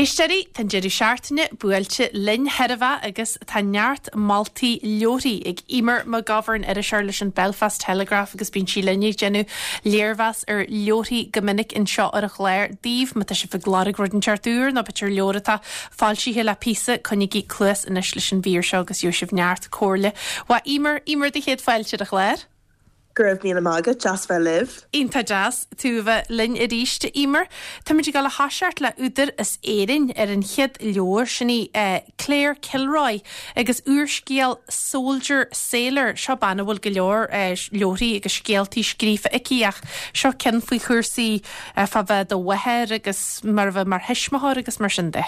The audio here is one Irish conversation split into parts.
Éisteoirí, tá an deireadh seachtaine buailte linn chairbhe agus tá neart moltaí leabharthaí ag Eimear McGovern, iriseoir leis an Belfast Telegraph agus bíonn sí linn ag déanamh léirmheas ar leabharthaí go minic anseo ar an chlár daoibh. Má tá sibh ag lorg rud inteacht úr nó b'fhéidir leabhar atá foilsithe le píosa, coinnígí cluas anois leis an mhír seo agus gheobhaidh sibh neart comhairle uaidh Eimear. Eimear, do chéad fáilte ar an chlár. Go raibh míle maith agat, deas bheith libh. Iontach deas tú a bheith linn arís, a Eimear. Táimid ag dul a thoiseacht le údar as Éirinn ar an chéad leabhar, sin í Claire Kilroy agus úrscéal Soldier Sailor. Seo bean a bhfuil go leor leabharthaí agus scéaltaí scríofa aici ach seo ceann faoi chúrsaí fá bheith i do mháthair agus mar a bheith mar thuismitheoir agus mar sin de.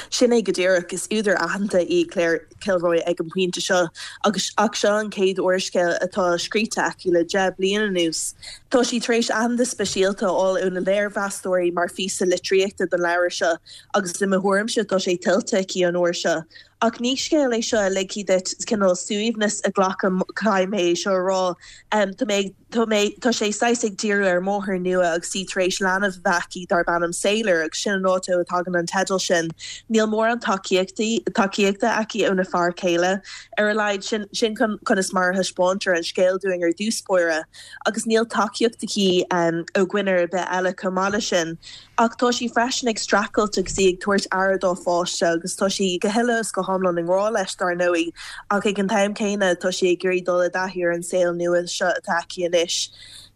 Sin é go díreach. Is údar aitheanta í Claire Kilroy ag an bpointe seo agus ach seo an chéad úrscéal atá scríte aici le 10 bliain anuas. Tá sí tar éis aitheantas speisialta a fháil ó na léirmheastóirí mar phíosa litríochta don leabhar seo agus i mo thuairimse tá sé tuillte aici an uair seo. Ach ní scéal é seo a ligfidh duit cineál suaimhneas a ghlacadh, caithfidh mé é seo a rá. Tá mé ag. Tá mé, tá sé saghas ag díriú ar mháthair nua agus í tar éis leanbh a bheith aici darb ainm Sailor agus sin an áit ó a tagann an teideal sin. Níl mórán tacaíochtaí, tacaíochta aici óna fear céile, ar a laghad, sin, sin conas mar a thaispeántar an scéal dúinn ar dtús báire. Agus níl tacaíocht aici ó dhuine ar bith eile chomh maith leis sin. Ach tá sí freisin ag streachailt agus í ag tabhairt aire dá pháiste agus tá sí go huile is go hiomlán i ngrá leis, dar ndóigh, ach ag an t-am céanna tá sí ag iarraidh dul i dtaithí ar an saol nua seo atá aici anois.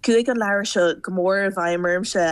Chuaigh an leabhar seo go mór i bhfeidhm ormsa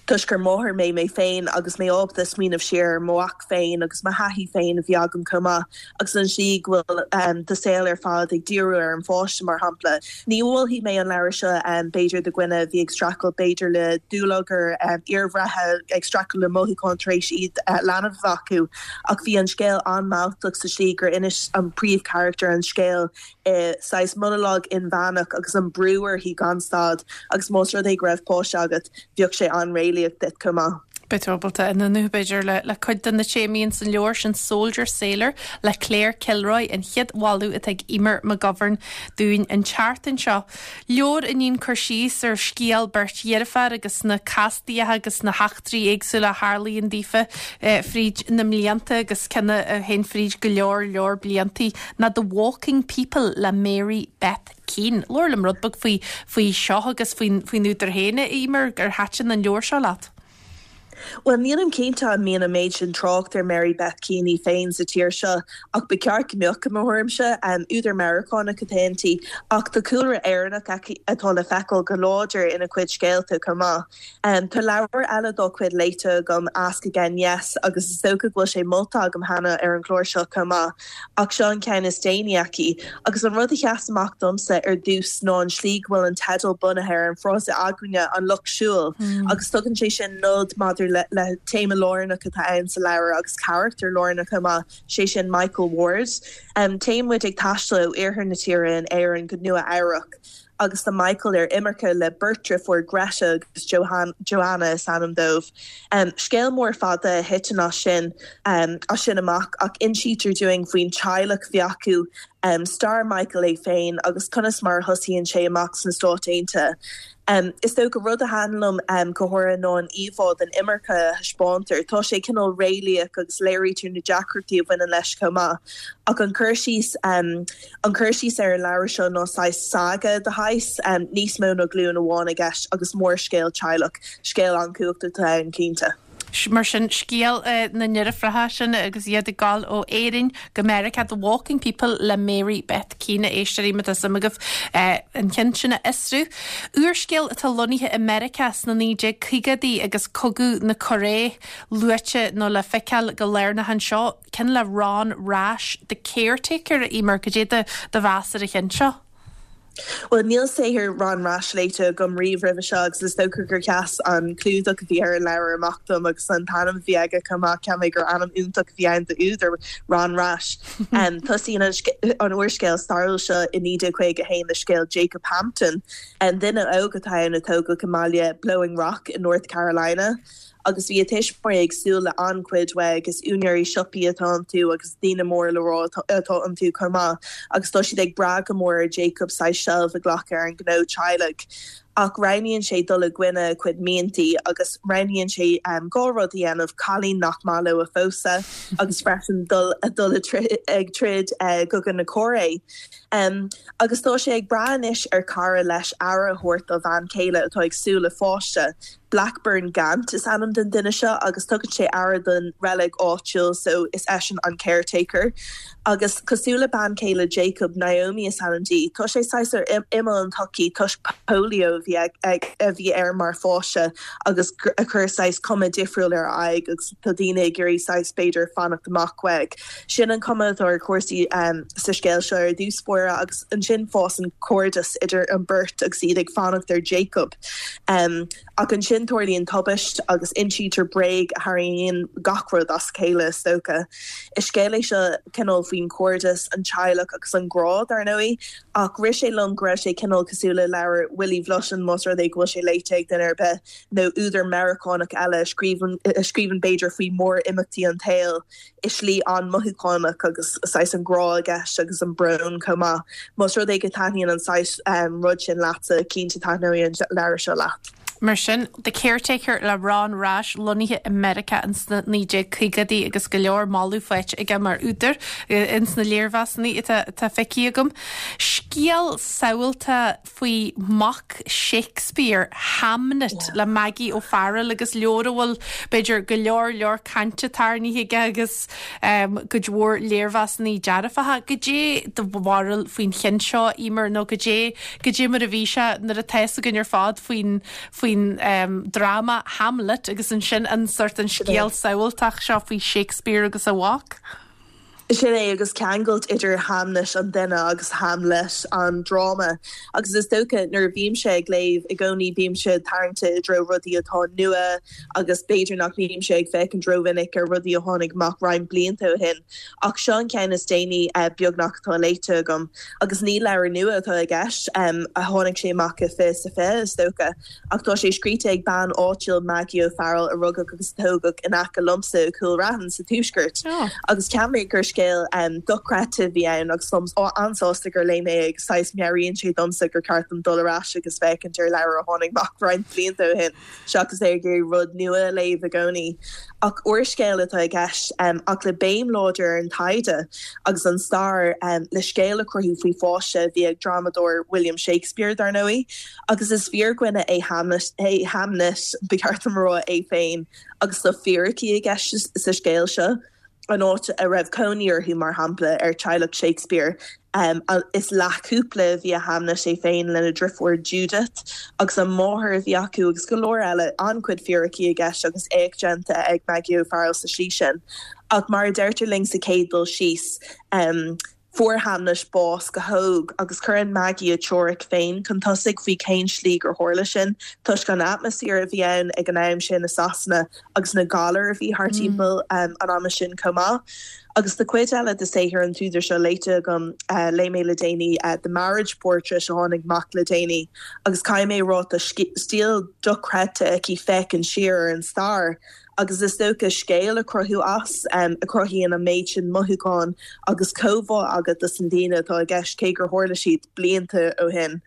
toisc gur máthair mé mé féin agus mé ábalta smaoineamh siar ar mo mhac féin agus mo thaithí féin a bhí agam chomh maith agus an tslí go bhfuil do saol ar fad ag díriú ar an pháiste, mar shampla. Ní mholfaidh mé an leabhar seo b'fhéidir do dhuine a bhí ag streachailt b'fhéidir le dúlagar iarbhreithe, ag streachailt le mothúcháin tar éis iad leanbh a bheith acu ach bhí an scéal an-mealltach sa tslí gur inis an príomhcharachtar an scéal i saghas monalóg inmheánach agus an brú uirthi gan stad agus más rud é go raibh páiste agat bheadh sé an-réalaíoch duit chomh maith. Beidh tú ábalta aonú, b'fhéidir, le cuid de na téamaí ins an leabhar sin Soldier Sailor le Claire Kilroy, an chéad mholadh atá ag Eimear McGovern dúinn an tseachtain seo. Leabhar a níonn cur síos ar scéal beirt dheirféar agus na castaíocha agus na heachtraí éagsúla a tharlaíonn daofa fríd na mblianta agus ceann a théann fríd go leor leor bliantaí ná The Walking People le Mary Beth Keane. Labhair liom rud beag faoi faoi seo agus faoin faoin údar féin, a Eimear, ar thaitin an leabhar seo leat? Bhuel, nílim cinnte an mbíonn an méid sin trácht ar Mary Beth Keane í féin sa tír seo, ach ba cheart go mbeadh, i mo thuairimse. Údar Meiriceánach atá inti, ach tá cúlra Éireannach aici atá le feiceáil go láidir ina cuid scéalta chomh maith. Tá leabhar eile dá cuid léite agam, Ask Again Yes, agus is dócha go bhfuil sé molta agam cheana ar an gclár seo chomh maith. Ach seo an ceann is déanaí aici. Agus an rud a sheas amach domsa ar dtús ná an slí go bhfuil an teideal bunaithe ar an frása againne, an lucht siúil, agus tugann sé sin nod maidir le le téama lárnach atá ann sa leabhar agus carachtar lárnach chomh maith, sé sin Michael Ward. Téann muid ag taisteal ó iarthar na tíre in Éirinn go Nua Eabhrac. agus tá Michael ar imirce le beirt driofúr, Greta agus Joanna is ainm dóibh. Scéal mór fada a thiteann as sin as sin amach ach insítear dúinn faoin teaghlach a bhí acu, stair Michael é féin agus conas mar a thosaíonn sé amach sna Stáit Aontaithe. Is dócha rud a thaitin liom go háirithe ná an íomhá den imirce a thaispeántar. Tá sé cineál réalaíoch agus léirítear na deacrachtaí a bhaineann leis chomh maith. Ach an cur síos An cur síos ar an leabhar seo ná saghas saga de shaghas, níos mó ná glúin amháin i gceist agus mórscéal teaghlach, scéal an-chumhachtach atá ann cinnte. Mar sin, scéal na ndeirfiúracha sin agus iad ag gabháil ó Éirinn go Meiriceá, The Walking People le Mary Beth Keane, a éisteoirí, má tá suim agaibh an ceann sin a fhiosrú. Úrscéal atá lonnaithe i Meiriceá sna 1950idí agus Cogadh na Cóiré luaite nó le feiceáil go lárnach anseo. Ceann le Ron Rash, The Caretaker, a Eimear, cad é do mheas ar an cheann seo? Bhuel, níl saothar Ron Rash léite agam riamh roimhe seo agus is dócha gur sheas an clúdach a bhí ar an leabhar amach dom agus an t-ainm a bhí aige chomh maith. Cheap mé gur ainm iontach a bhí ann d'údar, Ron Rash. Tosaíonn an úrscéal stairiúil seo i 1951 le scéal Jacob Hampton, duine óg atá ann a tógadh i mbaile Blowing Rock i North Carolina. agus bhí a tuismitheoirí ag súil le an-chuid uaidh agus úinéirí siopaí atá iontu agus daoine mór le rá atá iontu chomh maith agus tá siad ag brath go mór ar Jacob saghas seilbh a ghlacadh ar an ghnó teaghlaigh. Ach roghnaíonn sé dul i gcoinne a chuid miantaí agus roghnaíonn sé dhá rud a dhéanamh, cailín nach maith leo a phósadh agus freisin dul dul ag troid i gCogadh na Cóiré. Agus tá sé ag brath anois ar chara leis aire a thabhairt dá bhean chéile atá ag súil le pháiste. Blackburn Gant is ainm don duine seo agus tugann sé aire don reilig áitiúil so is eisean an caretaker. Agus cosúil le bean chéile Jacob, Naomi is ainm di, tá sé saghas ar imeall an tsochaí toisc polio a bhí a bhí air mar pháiste agus a chuir saghas cuma difriúil ar a aghaidh agus tá daoine ag iarraidh saghas b'fhéidir fanacht amach uaidh. Sin an cuma atá ar chúrsaí sa scéal seo ar dtús báire agus ansin fásann cairdeas idir an beirt agus iad ag fanacht ar Jacob. Ach ansin tarlaíonn tubaist agus insítear bréag a tharraingíonn gach rud as a chéile, is dócha. Is scéal é seo cineál faoin chairdeas, an teaghlach agus an grá, dar ndóigh, ach rith sé liom go raibh sé cineál cosúil le leabhar Willy Vlautin, más rud é go bhfuil sé léite ag duine ar bith, nó údar Meiriceánach eile a scríobhann a scríobhann b'fhéidir faoi mhór-imeachtaí an tsaoil. i slí an-mothúchánach agus saghas an grá i gceist agus an brón chomh maith. Más rud é go taitníonn an saghas rud sin leatsa, cinnte taitneoidh an leabhar seo leat. Mar sin, The Caretaker le Ron Rash, lonnaithe i Meiriceá ins na 1950idí agus go leor moladh faighte aige mar údar ins na léirmheasanna atá feicthe agam. Scéal samhalta faoi mhac Shakespeare, Hamnet, le Maggie O'Farrell agus leabhar a bhfuil, b'fhéidir, go leor leor cainte tarraingthe aige agus cuid mhór léirmheasanna dearfacha. Goidé do bharúil faoin cheann seo, Emer, nó goidé, goidé mar a bhí sé nuair atá fhios againn ar fad faoin, faoin dráma Hamlet agus ansin an sort an scéal samhaltach seo faoi Shakespeare agus a mhac? Sin é, agus ceangailt idir Hamnet an duine agus Hamlet an dráma. Agus is dócha, nuair a bhímse ag léamh, i gcónaí bímse tarraingte i dtreo rudaí atá nua agus b'fhéidir nach mbímse ag féachaint rómhinic ar rudaí a tháinig amach roinnt blianta ó shin. Ach seo an ceann is déanaí, beagnach, atá léite agam. Agus ní leabhar nua atá i gceist, a tháinig sé amach i 2020, is dócha. Ach tá sé scríte ag bean áitiúil, Maggie O'Farrell, a rugadh agus a tógadh in aice liomsa i gCúil Raithin sa Tuaisceart. Agus cheap mé gur scéal dochreidte a bhí ann agus táim an-sásta gur léigh mé é agus saghas meabhraíonn sé domsa gur ceart dom dul ar ais agus féachaint ar leabhar a tháinig amach roinnt blianta ó shin seachas ag iarraidh rud nua a léamh i gcónaí. Ach úrscéal atá i gceist ach le béim láidir ar an taighde agus an stair le scéal a chruthú faoi pháiste a bhí ag drámadóir William Shakespeare, dar ndóigh. Agus is fíordhuine é Hamlet, é Hamnet, ba cheart dom a rá, é féin, agus tá fíricí i gceist sa scéal seo, an áit a raibh cónaí orthu, mar shampla, ar teaghlach Shakespeare. Is leathchúpla a bhí i Hamnet é féin lena dhriofúr Judith, agus an mháthair a bhí acu, agus go leor eile. An-chuid fíricí i gceist agus éacht déanta ag Maggie O'Farrell sa slí sin. Ach mar a deirtear linn sa chéad dul síos, Fuair Hamnet bás go hóg agus cuireann Maggie a teoiric féin chun tosaigh faoi cén slí gur tharla sin, toisc an atmaisféar a bhí ann ag an am sin i Sasana agus na galair a bhí thart timpeall an ama sin chomh maith. Agus tá cuid eile de saothar an t-údar seo léite agam, léigh mé le déanaí The Marriage Portrait a tháinig amach le déanaí agus caithfidh mé a rá tá stíl dochreidte aici féachaint siar ar an stair Agus is dócha scéal a chruthú as, a chruthaíonn an méid sin mothúchán agus comhbhá agat dos na daoine atá i gceist, cé gur tharla siad blianta ó shin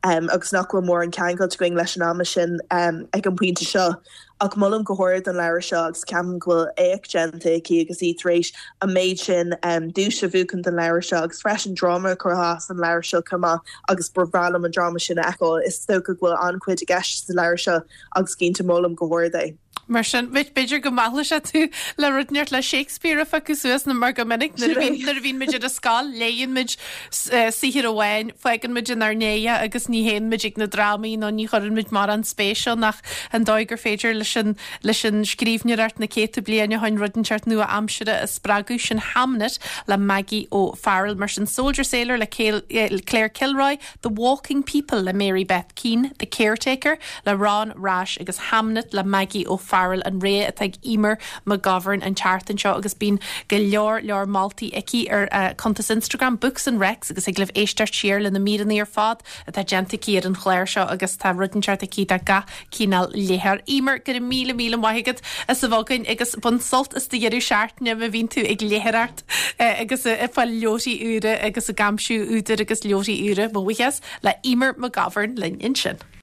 agus nach bhfuil mórán ceangailt againn leis an ama sin ag an bpointe seo. Ach molaim go hard an leabhar seo agus ceapaim go bhfuil éacht déanta aici agus í tar éis an méid sin duais a bhuachan don leabhar seo agus freisin dráma a chruthú as an leabhar seo chomh maith agus ba bhreá liom an dráma sin a fheiceáil. Is dócha go bhfuil an-chuid i gceist sa leabhar seo agus cinnte molaim go hard é. Mar sin, b'fhéidir go meallfaidh sé tú le rud inteacht le Shakespeare a phiocadh suas nó mar go minic nuair a bhíonn nuair a bhíonn muid ar an scoil, léigheann muid saothar amháin, fágann muid inár ndiaidh agus ní théann muid ag na drámaí nó ní chuireann muid mórán spéis ann ach an dóigh gur féidir leis an leis an scríbhneoireacht na céadta bliain ó shin rud inteacht nua-aimseartha a spreagadh. Sin Hamnet le Maggie O'Farrell. Mar sin Soldier Sailor le Claire Kilroy, The Walking People le Mary Beth Keane, The Caretaker le Ron Rash agus Hamnet le Maggie O'Farrell an rogha atá ag Emer McGovern an tseachtain seo agus bíonn go leor leor moltaí aici ar a cuntas Instagram Books and Recs agus thig libh éisteacht siar le na míreanna ar fad atá déanta aici ar an chlár seo agus tá rud inteacht aici do gach cineál léitheoir. Emer, go raibh míle míle maith agat as a bheith againn agus bain sult as do dheireadh seachtaine má bhíonn tú ag léitheoireacht. agus ag fáil leabharthaí úra agus ag aimsiú údair agus leabharthaí úra. Mo bhuíochas le Emer McGovern linn ansin.